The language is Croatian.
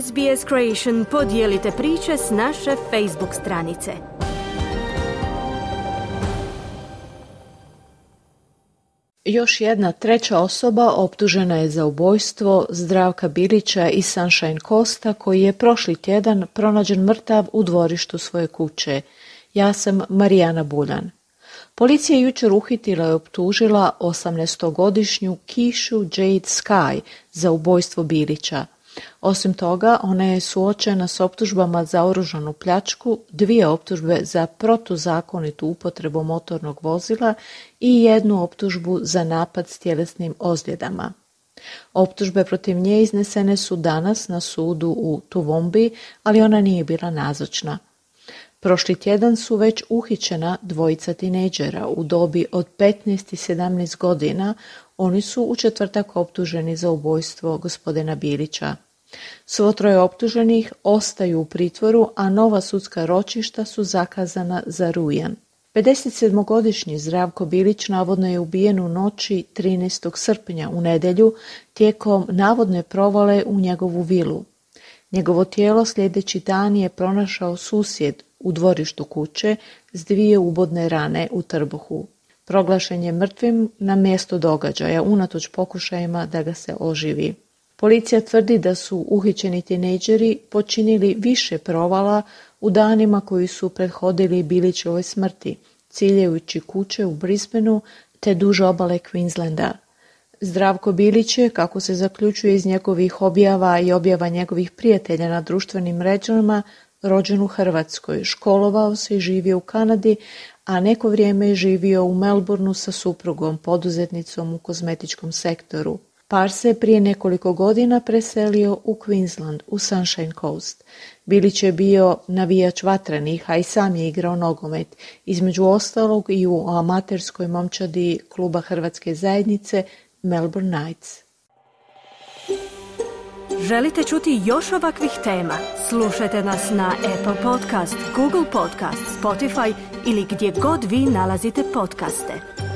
SBS Creation podijelite priče s naše Facebook stranice. Još jedna treća osoba optužena je za ubojstvo Zdravka Bilića iz Sunshine Coasta, koji je prošli tjedan pronađen mrtav u dvorištu svoje kuće. Ja sam Marijana Buljan. Policija je jučer uhitila i optužila 18-godišnju Keishu Jade Sky za ubojstvo Bilića. Osim toga, ona je suočena s optužbama za oružanu pljačku, 2 optužbe za protuzakonitu upotrebu motornog vozila i 1 optužbu za napad s tjelesnim ozljedama. Optužbe protiv nje iznesene su danas na sudu u Toowoomba, ali ona nije bila nazočna. Prošli tjedan su već uhićena 2 tinejdžera u dobi od 15 i 17 godina. Oni su u četvrtak optuženi za ubojstvo gospodina Bilića. Svo 3 optuženih ostaju u pritvoru, a nova sudska ročišta su zakazana za rujan. 57-godišnji Zdravko Bilić navodno je ubijen u noći 13. srpnja u nedjelju tijekom navodne provale u njegovu vilu. Njegovo tijelo sljedeći dan je pronašao susjed u dvorištu kuće s 2 ubodne rane u trbuhu. Proglašen je mrtvim na mjesto događaja, unatoč pokušajima da ga se oživi. Policija tvrdi da su uhićeni tinejdžeri počinili više provala u danima koji su prethodili Bilićevoj smrti, ciljajući kuće u Brisbaneu te duž obale Queenslanda. Zdravko Bilić je, kako se zaključuje iz njegovih objava i objava njegovih prijatelja na društvenim mrežama, rođen u Hrvatskoj, školovao se i živio u Kanadi, a neko vrijeme je živio u Melbourneu sa suprugom, poduzetnicom u kozmetičkom sektoru. Par se prije nekoliko godina preselio u Queensland, u Sunshine Coast. Bilić je bio navijač Vatrenih, a i sam je igrao nogomet, između ostalog i u amaterskoj momčadi kluba Hrvatske zajednice Melbourne Knights. Želite čuti još ovakvih tema? Slušajte nas na Apple Podcast, Google Podcast, Spotify ili gdje god vi nalazite podcaste.